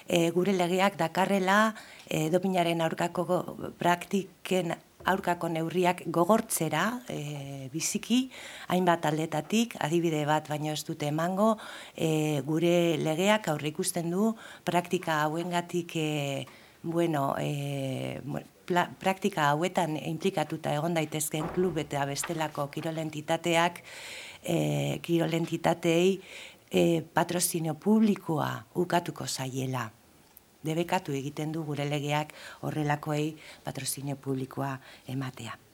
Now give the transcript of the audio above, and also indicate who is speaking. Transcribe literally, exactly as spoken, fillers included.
Speaker 1: e, gure legeak dakarrela e, dopinaren aurkako praktiken aurkako neurriak gogortzera e, biziki, hainbat aldetatik, adibide bat baino ez dute emango, e, gure legeak aurre ikusten du praktika hauengatik e, bueno, e, pla, praktika hauetan implikatuta egon daitezkeen klub eta bestelako kirolentitateak, e, kirolentitateei e, patrozinio publikoa ukatuko zaiela. Debekatu egiten du gure legeak horrelakoei patrozinio publikoa ematea.